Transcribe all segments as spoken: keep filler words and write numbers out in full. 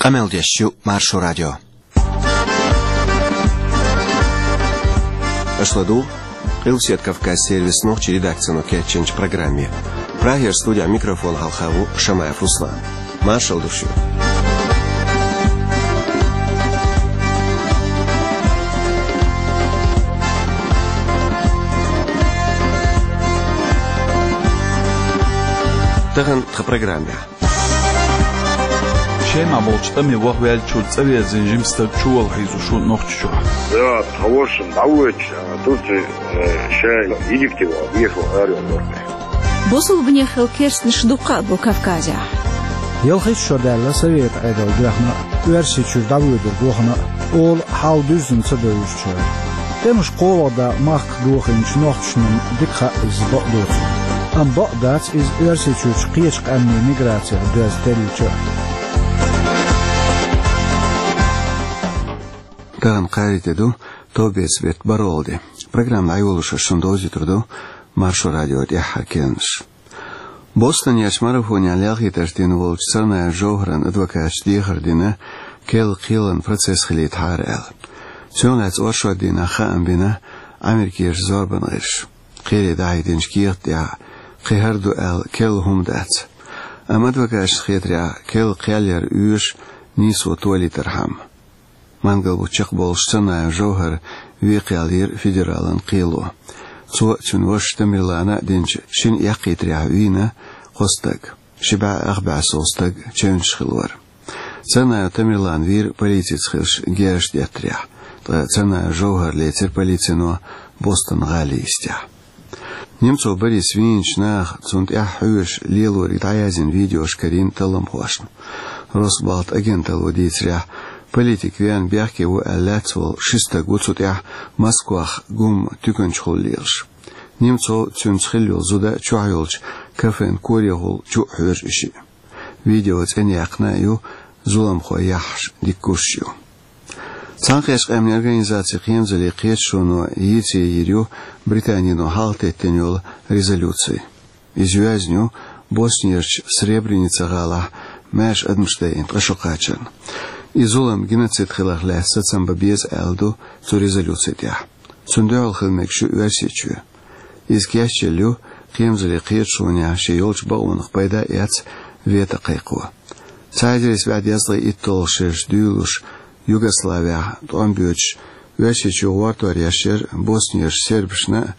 Къамел деш ю Маршо радио. Аша ладугӀу Къилбаседа Кавказан сервисан нохчийн редакцино кечйинчу программе. Прагера студехь микрофон хьалха ву Шамаев Руслан. Маршалла ду шуьга. Тахана тхан программехь. Шемахь болчу тӀаме ваха ваьллачуьра цӀа верзина жима стаг чувала хьийзош ву Нохчийчохь. Да, тхан ворхӀ шина дӀавоьдуш, а, Турци, э, ша Египте ваха везаш ву ара ваьлла. Бусалбанех хилла керстанаш дуккха а бу Кавказехь. Ялхитта шо даьлла Советан Ӏедал доьхна а, Оьрсийчуьра дӀавоьдург вахана а, ола хьал дуьззина ца девзачара. ТӀемаш кхоалгӀа дан махках дохийначу нохчашна дика хаьа иза, бакъ доцург. Амма бакъ дац иза Оьрсийчуьрчу кхечу къаьмнийн миграцех доьзна теллича а. Тахана кхаарин де ду, товбеца беттан бархӀалгӀа де. Программа дӀайолош аса шуна довзуьйтур ду Маршо радион тӀаьххьара керланаш. Бостонерчу марафонехь лелхийтарш дина волчу Царнаев Жовхаран адвокаташа дехар дина, керла кхелан процесс хилийтахьара аьлла. Цунах лаьцна оршот дийнахь хаам бина Ӏамеркерчу зорбанан гӀирсаша. Кхеле дахьийтинчу кехат тӀехь кхин хӀара ду аьлла керла хӀума дац. Амма адвокаташна хетарехь, керла кхел яр оьшу нийсо толийтархьама. Мангал бутт чекхболуш Царнаев Жовхар вен кхел йира федералан кхело. Цо а, цуьнан вашас Тамерлана а динчу шина эккхийтарехь вийна кхо стаг. Ши бӀе ах бӀе сов стаг чевнаш хилла вара. Царнаев Тамерлан вийра полицица хезаш герзаш деттарехь, ткъа Царнаев Жовхар лецира полицино Бостон гӀалин йистехь. Немцов Борис вийначу наха, цунна тӀаьхьа хьоьжуш, лелориг дӀаяздина видеош карийна талламхошна. Росбалт агенталло дийцарехь, политик веана бехке ву аьлла лаьцна волу ши стаг ву цу тӀехь Москвахь гум туьканчухула лелаш. Немцов, цуьнца хилла йолу зуда чохь йолчу кафен корехула чу а хьоьжу и шиъ. Видео цӀена яьккхина а ю, зуламхой яххьаш дика гуш ю. Цхьаьнакхеттачу къаьмнийн организацин кхерамзаллин кхеташоно йийцаре йийр ю Британино хьалхатеттина йолу резолюци. Иза йоьзна ю Боснерчу Сребреница гӀалахь маьрша адамаш дайина ткъа шо кхачарна. И зулам геноцид хиларх лаьцна сацам бан беза аьлла ду цу резолюци тӀехь. Цунна дуьхьал хила мегаш ю Оьрсийчоь. Иза кечъелла ю кхерамзаллин кхеташонехь шен йолчу бакъонах пайда а эцна вето кхайкхо. Цхьа эзар исс бӀе дезткъе итталгӀа шераш дуьйлалуш Югославехь тӀом боьдуш, Оьрсийчоь гӀортор еш яра боснерчу сербашна а,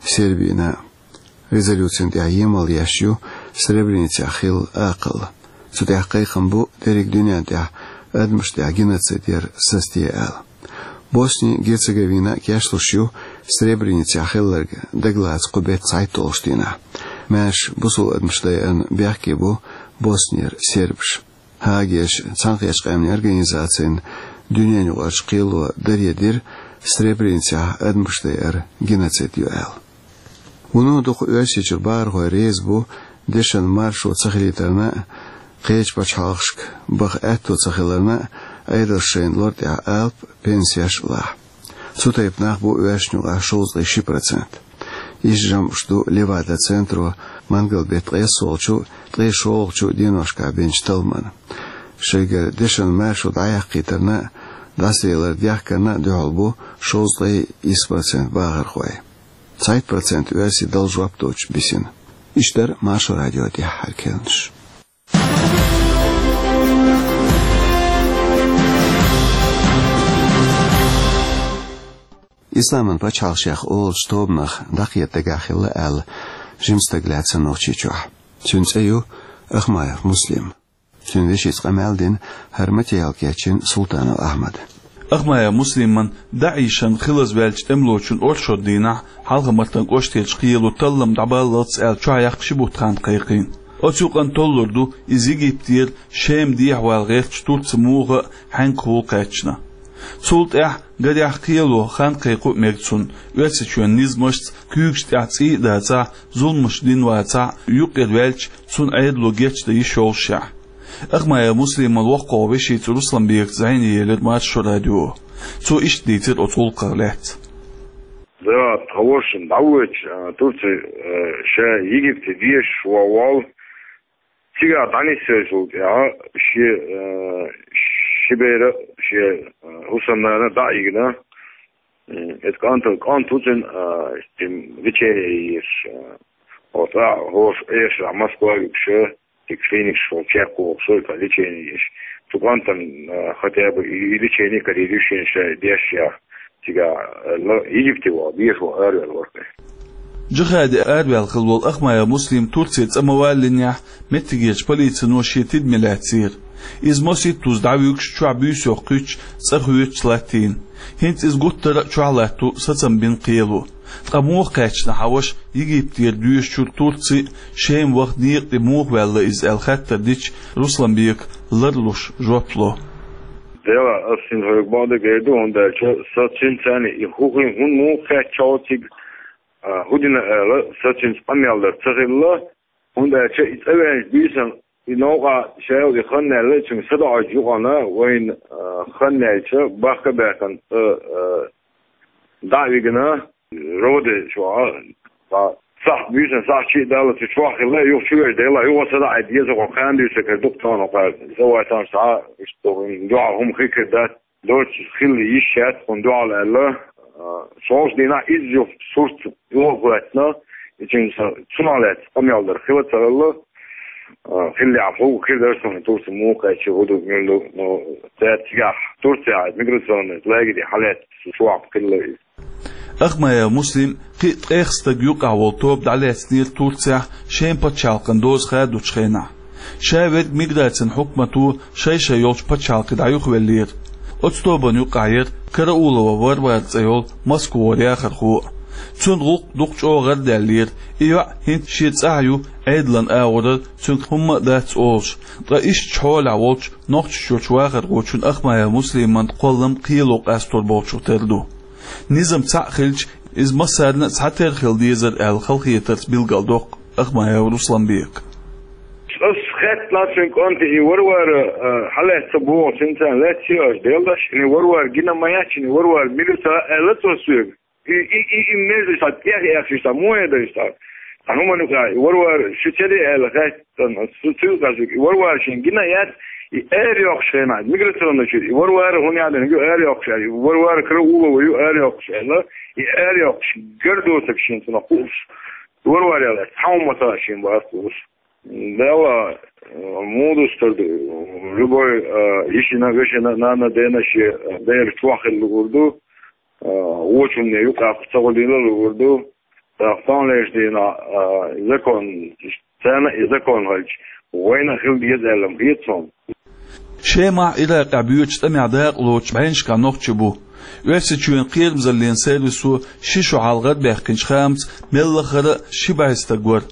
Сербина а. Резолюцина тӀехь емал еш ю Сребреницехь хилла акхалла. Цу тӀехь кхайкхам бу дерриг дуьнен тӀехь адамашна тӀехь геноцид яр сацаде аьлла. Босни-Герцеговина а кечлуш ю Сребреницехь хилларг дагалаца кху беттан цхьайтталгӀачу дийнахь. Маьрша бусулба адамаш дайарна бехке бу Боснера сербаш. Гаагерчу Цхьаьнакхеттачу къаьмнийн организацин дуьненаюкъарчу кхело даре дира Сребреницехь адамаш дайар геноцид ю аьлла. Вуно дукха Оьрсийчуьра бахархой реза бу дешан маршо ца хилийтарна а, кхечу пачхьалкхашка баха аьтто ца хиларна а, Ӏедалша шайна лар тӀехь алапа, пенсеш а лахь. Цу тайпа нах бу оьрсашна юкъахь шовзткъе ши процент. Иштта жамӀаш ду Левада центро мангал беттан ткъайоьссолгӀачу, ткъе шолгӀачу деношкахь бинчу талламан. Шайгара дешан маршо дӀаяккхийтарна а, дӀасалелар дехкарна а дуьхьал бу шовзткъе исс процент бахархой. Цхьайтта процент оьрсий Далла жоп доцуш бисина. Иштта дара Маршо радион тӀаьххьара керланаш. Исламан пачхьалкх шех олучу тобанах дӀакхета дагахь хилла аьлла жима стаг лаьцна Нохчийчохь. Цуьнан цӀе ю Ахмаев Муслим. Цуьнан вешица къамел дина хӀара материал кечйина Султанов Ахьмада. Ахмаев Муслиман ДАИШан хилазваьллачу тӀемалочун оршот дийнахь Хьалха-Мартан кӀоштерчу кхело таллам дӀабаллалц аьлла чохь яккха ши бутт хан кхайкхийна. Оцу юкъанна толлур ду иза Египетера Шема дехьавала гӀертачу Турци муха а хьаьнкахула кхаьчна. Цул тӀаьхьа, гарехь, кхело хан кхайкха а мега цунна, Оьрсийчоьнан низамашца, куьйгаш тӀехь цӀий а дацахь, зуламаш дина вацахь, юккъера ваьлча, цунна Ӏедало гечдан йиш йоллушехь. Ахмаев Муслиман воккхагӀа вешица Русланбекаца зӀене елира Маршо радио. Цо иштта дийцира оцу гӀуллакхах лаьцна. Да, тхан ворхӀ шина дӀавоьдуш, а, Турци, а, ша Египте дезаш ван волу. Цигахь дӀанисвеллачул тӀаьхьа шен, а, Ши бер а шен, а, хӀусамнана дӀа а йигна, м, эта кӀантал, кӀант ву цуьнан, а, лечение еш, а, оцу а хӀорш эшарахь Москва а вигуш, цига клиникаш чекхвохуш, цуьнан лечение еш. Цу кӀантана, а, хотя бы и, и лечение карийр ю шена ша деш яхь. Цигахь, а, Египте вахана, беша вахана араваьлла вара. Джихади араваьлла хилла волу Ахмаев Муслим Турце цӀа ма валлинехь, меттигерчу полицино шен тидаме лаьцнера. Иза масийттаза дӀавуьгуш, чохь буьйса йоккхуьйтуш, цӀа хоьцуш латтийна. ХӀинца иза гуттара а чохь латто сацам бина кхело. Ткъа муха кхаьчна хьан ваша Египтера доьшучуьра Турце, Шема ваха некъа тӀе муха ваьлла иза аьлла хаттар дича, Русланбека ларлуш жоп ло. Делахь, ас хӀинца хьоьга бакъдерг эр ду, хӀунда аьлча сан цуьнца цхьаьна и хӀу хин хӀунда муха кхаьчча цига, а, хӀу дина аьлла, сан цуьнца къамел дар ца хилла, хӀунда аьлча и цӀа ваьлча буьйсанна и новкъа шайла и хан аьлла, цуьнга садаӀачу юкъана вайна, а, хан аьлча, бахка а баьккхина, цӀа, а, дӀа а вигна, роде чохь, а, сахь буьйсанна сахь чу а далла, цу чохь хилла, юха чу веш дела, юха садаӀа деза, хӀокху хан дуьйцург дукха тахана кхара. Сан вай санна схьа, иштта дуьхьал хӀума хи кхир дац. Доцу хилла йиш яц хӀун дуьхьал аьлла, а, шолгӀачу дийнахь изза юха сурт юха хӀоьттина, и цуьнца цунах лаьцна къамел дар хила ца хилла, а, хиллехь хӀу хир дара суна Турце муха кхаьчча хӀу ду, мила ду, ну, цаьрца цигахь Турцехь миграционный лагере хьалаьцна чохь хилла иза. Ахмаев Муслим кхин а ткъех стаг юкъахь волу тоба дӀалаьцнера Турцехь Шема пачхьалкхан доза хадочу хенахь. Ша верг миграцин хьукмато шай-шай йолчу пачхьалкхе дӀаюхавеллера. Оцу тобанна юкъахь яра Караулова Варвара цӀе йолу Москвара яхархо а. Цуьнан гӀуллакх дукха чӀогӀа гӀардаьллера, и йоӀ хӀинца шен цӀахь ю Ӏедалан агӀорара, цуьнга хӀумма а дац олуш, ткъа иштта хьолехь волчу Нохчийчоьнан вахархочун Ахмаев Муслиман кхоллам кхело къастор болчух тера ду. Низам цхьаъ хилча, иза массарна а цхьатера хила дезара аьлла халахетарца билгалдоккху Ахмаев Русланбека. Ас хаьттина цуьнан кӀанте, и Варвара, а, хьалаьцна ца боху, цуьнца лаьцна ца йош, деллаш, и Варвара гина ма яц, и Варвара мила ца аьлла цо соьга. И, и, и, и меза ша тӀех эхча ша, муха дар ша? Сан хӀуманна юкъахь, и Варвара шу ца де аьлла хаьттина, цу, цу юкъахь шу, и Варвара шен гина яц, и ара йоккхуш хенахь, миграционный чуьра, и Варвара хӀун яхьа дерг ю ара йоккхуш аьлла, и Варвара Караулова ю ара йоккхуш аьлла, и ара йоккхуш гар доцург шен цунах хууш. Варвара яла, цхьа хӀума ца шен бац хууш. Делла, муха дустур ду, любой, а, йишина, вешина, нана, дена шен, а, дера чохь хила луур ду, а, вочунна юкъахь ца гӀо дийла луур ду. ТӀаккха таханлерчу дийнахь, а, закон, царна и закон хилча, вайна а хила деза аьлла ма хета суна. Шемахь, Иракъехь боьдучу тӀамехь дакъа лоцуш бӀеннашкахь нохчий бу. Оьрсийчоьнан кхерамзаллин сервисо ши шо хьалха гӀарабаьккхинчу хаамца мел лахара а ши бӀе стаг вара.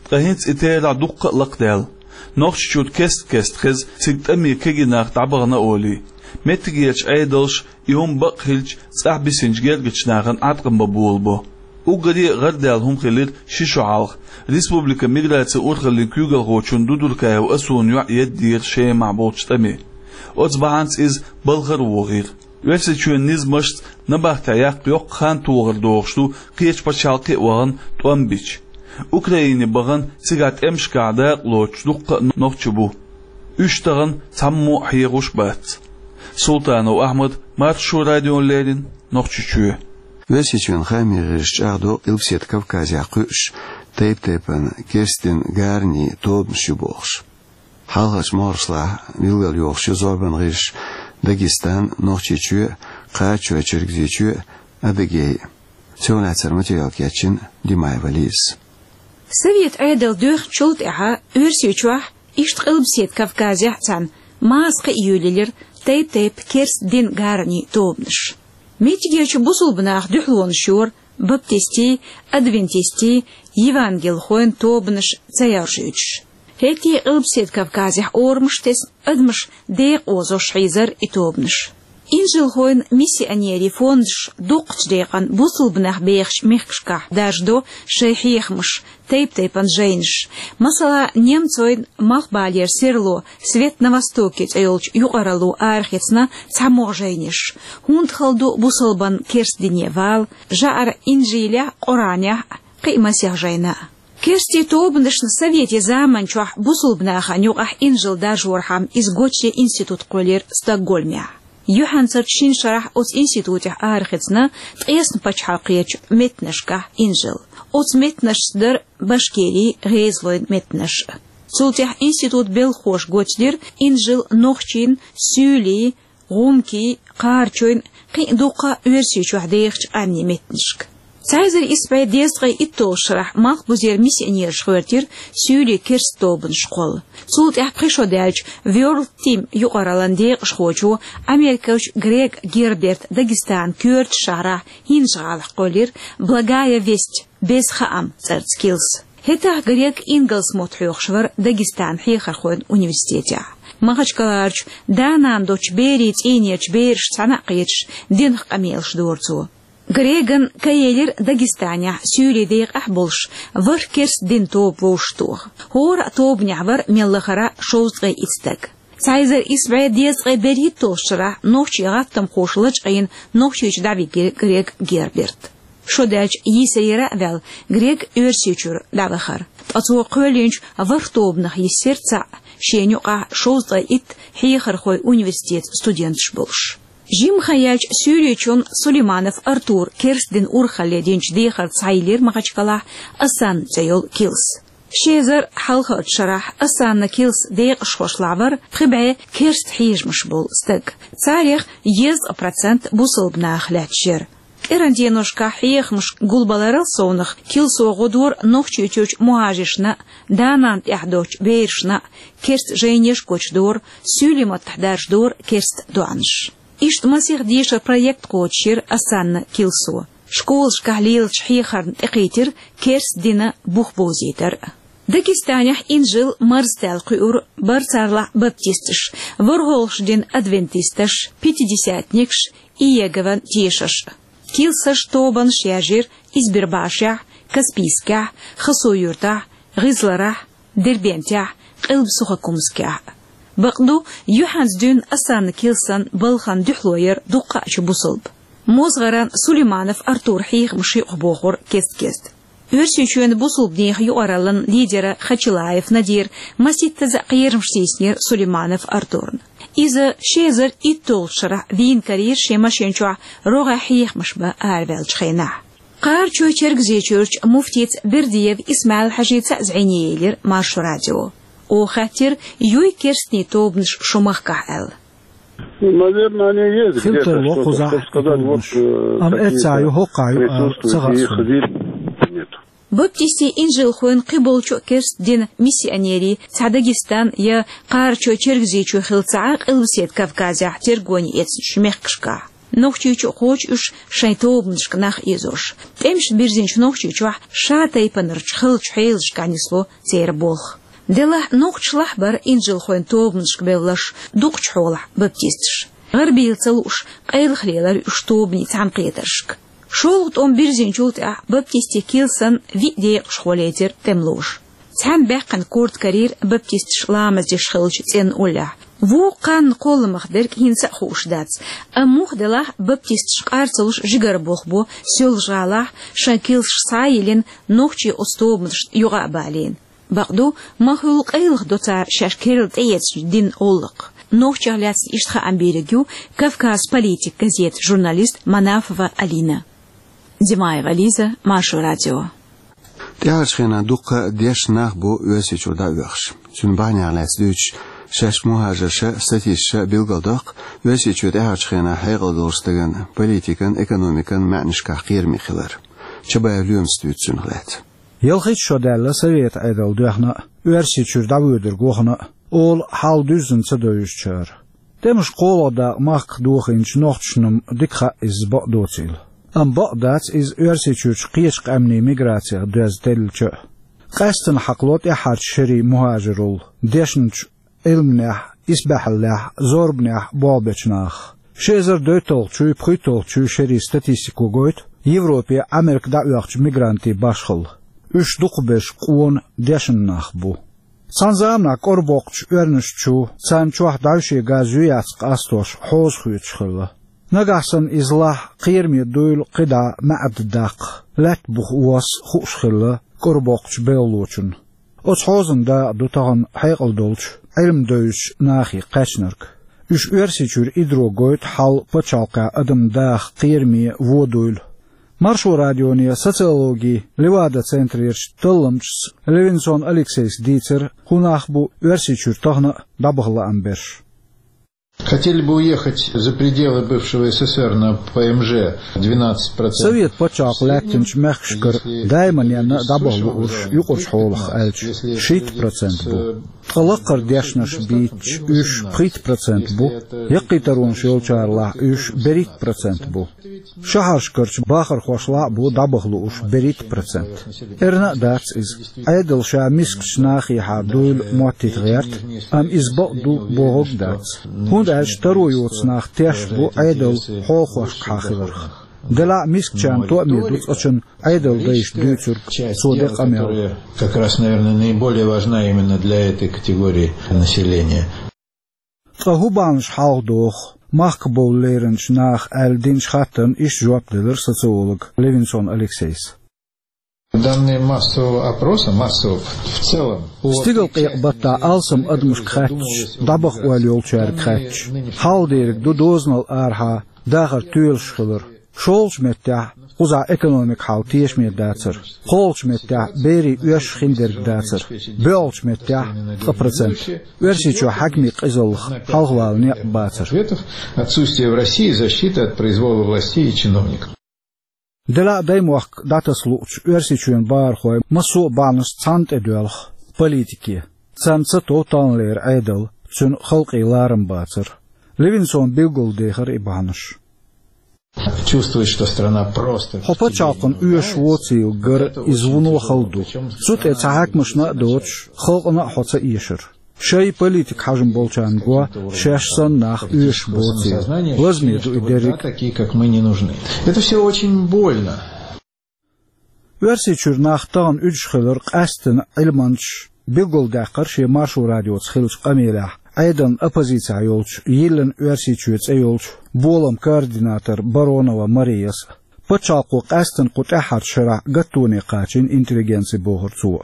Ткъа хӀинца и терахь дуккха а лакхадаьлла. Нохчийчуьра кест-кеста хеза цига тӀаме кегий нах дӀабахана олий. Меттигерчу Ӏедалша и хӀума бакъ хилча, цӀахь бисинчу гергарчу нахана Ӏаткъам бан болабо. Уггаре а гӀардаьлла хӀума хилира ши шо хьалха. Республикан миграцин урхаллин куьйгалхочун Дудуркаев Асунан йоӀ едда дера Шемахь болчу тӀаме. Оцу бахьанца иза балхара вогӀийра. Оьрсийчоьнан низамашца набахтехь яккха йоккха хан тохар догӀуш ду, кхечу пачхьалкхе а вахана тӀом бича. Украине бахана, цигахь тӀемашкахь дакъа лоцуш дуккха а нохчий бу. Уьш тахана цхьаммо а хьехош бац. Султанов Ахьмад, Маршо радиона леррина, Нохчийчоь. Оьрсийчоьнан хаамийн гӀирсаша чӀагӀдо Къилбаседа Кавказехь кхуьуш тайп-тайпана керста динан гаранийн тобанаш ю бохуш. Хьалхарчу могӀаршлахь билгалйохуш ю зорбанан гӀирсаш Дагестан, Нохчийчоь, Кхачой, Чергазийчоь, Адыгей. Севнацара материал кечйина Димаева Лизас. Совет Ӏедал доьхначул тӀаьхьа Оьрсийчохь, иштта Къилбаседа Кавказехь а цхьаьна, массо а кхиа йолаелира тайп-тайпа керста динан гаранийн тобанаш. Меттигерчу бусулба наха дуьхьалонаш йора баптистийн, адвентистийн, евангелхойн тобанаш ца яржуьйтуш. ХӀетте а Къилбаседа Кавказехь орамаш тесна, адамаш декъа озош хьийзара и тобанаш. Инжилхойн, миссионерийн фондаш дукхачу декъана бусулба нах бехачу мехкашкахь даржадо шайн хьехамаш, тайп-тайпана жайнаш. Масала, немцойн малхбалера серло «Свет на Востоке» цӀе йолчу юкъаралло арахецна цхьамогӀа жайнаш. ХӀунда хала ду бусалбанна керста дине вала, жаӀара Инжилехь а, Къуранехь а, кхин а масех жайна а. Керстийн тобанашна совете заман чохь бусулба нахана юкъахь инжил даржорхьама иза гочде институт кхоьллира Стокгольмехь. Юьхьанцарчу шина шарахь оцу институтехь арахецна ткъесна пачхьалкхерчу меттанашкахь инжил. Оцу меттанашца дара Башкирин, ГӀезалойн меттанаш. Цул тӀаьхьа институт белхахоша гочдира инжил нохчийн, суьйлийн, гӀумкийн, кхарачойн, кхин а дуккха а Оьрсийчохь дехачу къаьмнийн меттанашка. Цхьа эзар исс бӀе дезткъе итталгӀачу шарахь Малхбузера миссионераш гӀоьртира суьйлийн керста тобанаш кхолла. Цул тӀаьхьа пхи шо даьлча World Team юкъараллин декъашхочо, америкахочо Грег Герберта Дагестанан коьртачу шахьарахь, ХӀинжа-ГӀалахь, кхоьллира «Благая весть», «Беза хаам» цӀарца килс. ХӀетахь Грег ингалс мотт хьоьхуш вара Дагестанан хьехархойн университетехь. Махачкаларчу да-нана доцчу берийн цӀийнерчу берашца цхьаьна а кхеташ, динах къамелаш дора цо. Греган ка елира Дагестанехь, суьйлийн декъахь а болуш, ворхӀ керста динан тоба вовшахтоха. ХӀора а тобанехь вара мел лахара шовзткъе итт стаг. Цхьа эзар исс бӀе дезткъе берхӀитталгӀачу шарахь нохчийн гӀаттамхоша лачкъийна Нохчийчу дӀавигира Грег Герберт. Шо даьлча йийсарера а ваьлла, Грег Оьрсийчуьра дӀавахара. Ткъа цо кхоьллинчу ворхӀ тобанах йисира цхьаъ, шена юкъахь шовзткъе итт хьехархойн университетан студенташ болуш. Жимма хан яьлча Суьйрийчун Сулейманов Артура керста динан урхалле динчу дехарца схьайиллира Махачкалахь «Асанна» цӀе йолу килс. Ши эзар хьалхарчу шарахь «Асанна» килсан декъашхошлахь вара пхи бӀе керста хьежамаш болу стаг. Царех дезткъа процент бусалба нах лаьтташ яра. КӀиран деношкахь хьехамаш гулбаларал совнах килсо гӀо дора Нохчийчуьрчу мухӀажаршна а, да-нана тӀехь доцчу берашна а, керста жайнеш а гочдора, суьйлийн маттахь даржадора керста доӀанаш. Иштта масех дешаран проект кхочушйира «Асанна» килсо. Школашкахь лелачу хьехарна тӀекхийтира керста динан бух бовзийтар. Дагестанехь инжил марзтаьлла кхуьура барцарлахь баптисташ, ворхӀалгӀачу динан адвентисташ, пятидесятникаш, Иегован тешаш. Килсаш, тобанаш яьржира Избербашехь, Каспийскехь, Хасавюртахь, ГӀизларахь, Дербентехь, Къилба-Сухокумскехь. Бакъду, юьхьанца дуьйна «Асанна» килсан балхана дуьхьало яра дуккхаъчу бусалба. МозгӀаран Сулейманов Артура хьехамаш юкъахбохура кест-кеста. Оьрсийчоьнан бусалбанийн юкъараллин лидера Хачилаев Надира маситтаза а кхерамаш тийсинера Сулейманов Артурна. Иза ши эзар итталгӀачу шарахь вийна карийра шен машен чохь рогӀехь хьехамаш бан араваьллачу хенахь. Кхарачой-Чергазийчуьрчу муфтица Бердиев Исмаил-Хьажица а зӀене елира Маршо радио. Оха хаьттира, юй керстанийн тобанаш шун махкахь аьлла. Ну, наверное, они есть. Хила где-то тарло что-то, кхузахь, чтобы сказать, вот, тобанаш. Э, амма эццахь ю, хӀокхахь ю ала ца хаьа суна. Баптистийн инжилхойн, кхиболчу керста динан миссионерийн цхьа Дагестан я Кхарачой-Чергазийчоь хилла ца Ӏа Къилбаседа Кавказехь тергоне эцначу мехкашкахь. Нохчийчу а кхочу уьш шайн тобанашка нах озош. ТӀемаш бирзинчу Нохчийчохь ша тайпанарчу халачу хьелашкахь нисло церан болх. Делахь нохчашлахь бара инжилхойн тобанашка бевлларш, дукхачу хьолахь баптисташ. ГӀарабийла ца лууш, къайлаха лелара уьш тобанийн цхьаьнакхетаршка. ШолгӀа тӀом бирзинчул тӀаьхьа баптистийн килсан виъ декъашхо лецира тӀемалоша. Цхьаьна баьккхина корта карийра баптисташ ламаз деш хиллачу цӀенна уллехь. Вукху кханна кхолламах дерг хӀинца а хууш дац, амма муха делахь баптисташ къар ца луш жигара болх бо Соьлжа-ГӀалахь, шайн килсаш схьа а йиллина, нохчий оцу тобанашна юкъа а балийна. Бакъду, ма-хуьллу къайлаха до цара шаьш керла тӀеэцначу динан гӀуллакх. Нохчех лаьцна иштта хаам бийриг ю «Кавказ Политик» газетан журналист Манафова Алина. Димаева Лиза, Маршо радио. ТӀаьхьарчу хенахь дуккха а дешна нах бу Оьрсийчуьра дӀаоьхуш. Цуьнан бахьанех лаьцна дуьйцуш, шаьш мухӀажарша, статисташа билгалдоккху, Оьрсийчоь тӀаьхьарчу хенахь хьекъал долуш стагана политикан, экономикан маьӀнашкахь кхераме хилар. Чабаев Лоьмас дуьйцу цунах лаьцна. Ялхитта шо даьлла Советан Ӏедал доьхна а, Оьрсийчуьра дӀавоьдург вахана а, ола хьал дуьззина ца девзачара. ТӀемаш кхоалгӀа дакъа махках дохийначу нохчашна-м дика хаьа иза бакъдоцийла. Амма бакъ дац иза Оьрсийчуьрчу кхечу къаьмнийн миграцех доьзна теллича а. Къаьсттина хьакхало тӀаьххьарчу шерийн мухӀажаралла дешначу Ӏилманехь, исбаьхьаллехь, зорбанехь болх бечу нахах. Ши эзар дейтталгӀачуй, пхийтталгӀачуй шерийн статистико гойту Европе, Ӏамерка дӀаоьхучу мигрантийн башхалла. Уьш дукхахберш къона, дешна нах бу. Цхьана заманахь кӀорбоккхучу оьрнаш чу, царна чохь дӀаьвше газ ю-яц къастош хьоза хоьцуш хилла. Нагахь санна иза лахь, кхераме дуйла кхидӀа маьӀда даккха, лаьтта буха восса хууш хилла, кӀорабоккхучу белхалочунна. Оцу хьозанан дакъа ду тахана хьекъал долчу Ӏилма девзачу нахе кхаьчнарг. Уьш Оьрсийчуьра идро гойту хьал пачхьалкхехь адаман даха кхераме вон дуйла. Маршо радионе социологин Левада центрерчу талламчас Левинсон Алексейс дийцира, хӀун нах бу Оьрсийчуьра тахана а дӀабаха лаам берш. Хотели бы уехать за пределы бывшего С С С Р на П М Ж двенадцать процентов. Совет пачхьалкх лаьттинчу мехкашкара даиманна а дӀабаха луурш юкъарчу хьолах аьлча, шийтта процент бу. Ткъа лакхара дешнаш бийцича, уьш пхийтта процент бу, яккхий таронаш йолчарлахь уьш берхӀитта процент бу. Шахьаршкарчу бахархошлахь а бу дӀабаха луурш берхӀитта процент. Эрна а дац иза. Ӏедал ша мискачу нахехьа дуйла моттийта гӀерта, амма иза бакъ ду бохург а дац. ХӀунда аьлча таро йоцу нах тешна бу Ӏедал хьолахошкахьа хиларх. Делахь а мискачарна тоъаме ду цкъачунна Ӏедалан дайша дуьйцург, цо ден къамел. Как раз, наверное, наиболее важна именно для этой категории населения. Ткъа хӀун бахьанаш хьалха доху махкахь бовла леринчу наха аьлла динчу хаттарна иштта жоп делира социолога Левинсон Алексейс. Данные массового опроса, массового в целом, по... Стигалкъекъа баттахь алсам адамашка хаьттича, дӀабаха ойла йолчаьрга хаьттича, хьалха дерг ду дозанал арахьа дахар тоьлуш хилар. ШолгӀачу меттехь, кхузахь экономикан хьал тешаме дацар. КхоалгӀачу меттехь, берийн оьшуш хиндерг дацар. БоьалгӀачу меттехь, ткъа процент, Оьрсийчохь хьаькамийн къизаллах хьалхавала некъ бацар. Отсутствие в России защиты от произвола властей и чиновников. Делахь а даймохк дӀатаса луучу Оьрсийчоьнан бахархойн массо а бахьанаш цхьаьна тӀедоьлху политике. Царна ца тов таханлера Ӏедал, цуьнан халкъе ларам бацар. Левинсона билгалдехира и бахьанаш. Чувствует, что страна просто... Хьо пачхьалкхана оьшуш воцийла гар иза вуно хала ду. Цу тӀе цхьа хьаькамашна а доцуш, халкъана а хьо ца эшар. Шайн политикан хьежам болчарна го, шаьш санна нах оьшуш боцийла. Лазаме ду и дерриг а. Такие, как мы, не нужны. Это всё очень больно. Оьрсийчуьра нах тахана уьдуш хилар къаьсттина Ӏилманчаша билгалдаьккхира шен Маршо радиоца хиллачу къамелехь Ӏедална оппозицехь йолчу «Йиллина Оьрсийчоь» цӀе йолчу боламан координатор Баронова Марияс а. Пачхьалкхо къаьсттина кху тӀаьххьарчу шарахь гаттоне кхачийна интеллигенци, бохура цо.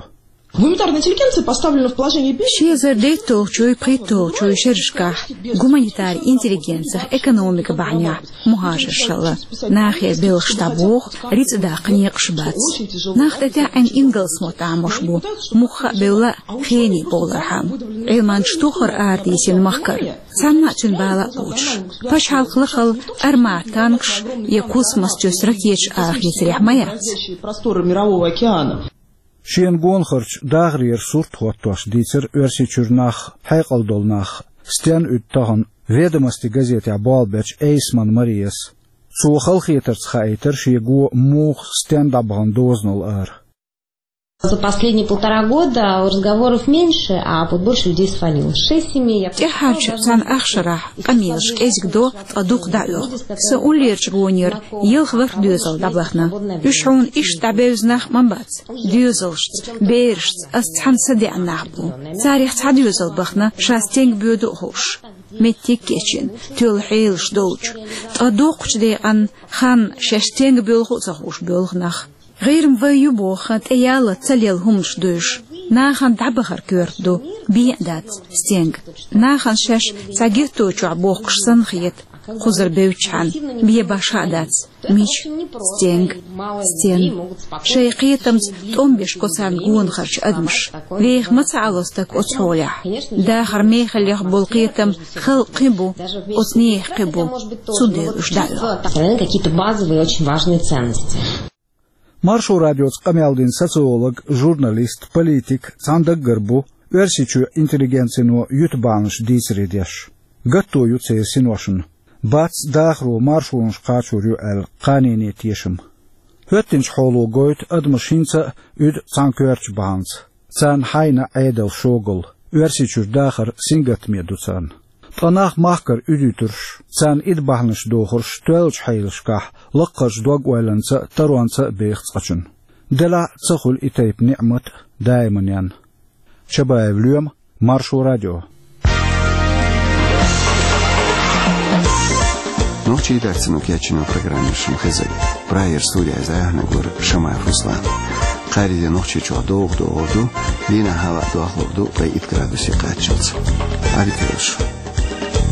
Гуманитарная интеллигенция поставлена в положение бедности. Ши эзар дейтталгӀачуй, пхийтталгӀачуй шерашкахь гуманитарни интеллигенцих экономикан бахьанехь мухӀажаршалла. Нахера белхаш дӀабоху, рицкъ даккха некъаш бац. Нах тӀетаьӀӀина ингалс мотт Ӏамош бу, муха а бевлла, хене бовлархьама. Ӏилманчаш тохара арадийсина махкара, цхьанна а цуьнан бала а кхочуш. Пачхьалкх лахал армат танкаш я космос чуьра ракеташ арахецарехь ма яц. Просторы мирового океана. Шена гонахарчу дахарера сурт хӀоттош дийцира Оьрсийчуьра нах, хьекъал долу нах, стенна уьду тахана «Ведомости» газетехь болх бечу Эйсман Марияс. Цо халахетарца хаийтира шен го муха, стенна дӀабахана дозанал ара. За последние полтора года разговоров меньше, а вот больше людей свалилось. Шесть семей, я... ТӀаьххьарчу цхьана ах шарахь къамелаш кӀезиг до, ткъа дукха дӀаоьху. Сан уллерчу гонера ялх-ворхӀ доьзал дӀабахана. Уьш хьуна иштта дӀабевза нах ма бац. Доьзалшца, берашца ас цхьаьна са деана нах бу. Царах цхьа доьзал бахана, ша стенга боьду а хууш. Меттиг а кечйина, тоьлла хьелаш долчу. Ткъа доккхачу декъан хан шаьш стенга боьлху а ца хууш боьлху нах. ГӀийрам вай ю боху, тӀеяллалц ца лелла хӀуманаш ду уьш. Нахана дӀабахар коьрта ду, бен а дац стенга. Нахана шаьш цхьа гетто чохь бохкуш санна хета, кхузара бевччхьана, бен башха а дац. Мича? Стенга. Стенна. Шайн кхетамца тӀом беш го царна гонахарчу адамаш. Веха ма ца Ӏало стаг оцу хьолехь. Дахар мехаллех болу кхетам халкъан кхин бу, оцу нехан кхин бу. Цундела уьш дӀаоьху. Сохраняют какие-то базовые, очень важные ценности. Маршо радиоца къамел дина социолог, журналист, политик цхьана даггара бу Оьрсийчоь интеллигенцино юьту бахьанаш дийцаре деш. Гатто ю церан синошна. Бац дахаро маршонаш кхачор ю аьлла кханене тешам. ХӀоьттинчу хьоло гойту адамаш хӀинца а уьду цхьана коьртачу бахьанца. Царна хьайна Ӏедал шогал, Оьрсийчуьра дахар сингаттаме ду царна. Ткъа нах махкара уьдуьйтурш, царна ида бахьанаш дохурш тоьллачу хьелашкахь лаккхарчу дог-ойланца а, таронца а беха цкъачунна. Делахь а ца хуьлу и тайпа ниӀмат а даиманна. Чабаев Лоьма, Маршо радио. Нохчийн редакцино кечйина программа шуна хезира. Прагера студехь зӀе хьанагара Шамаев Руслан. Ари де нохчи чуа догъ догъ ду, дина хава дохло ду, къай ит градуси къачалц. Ари кираш.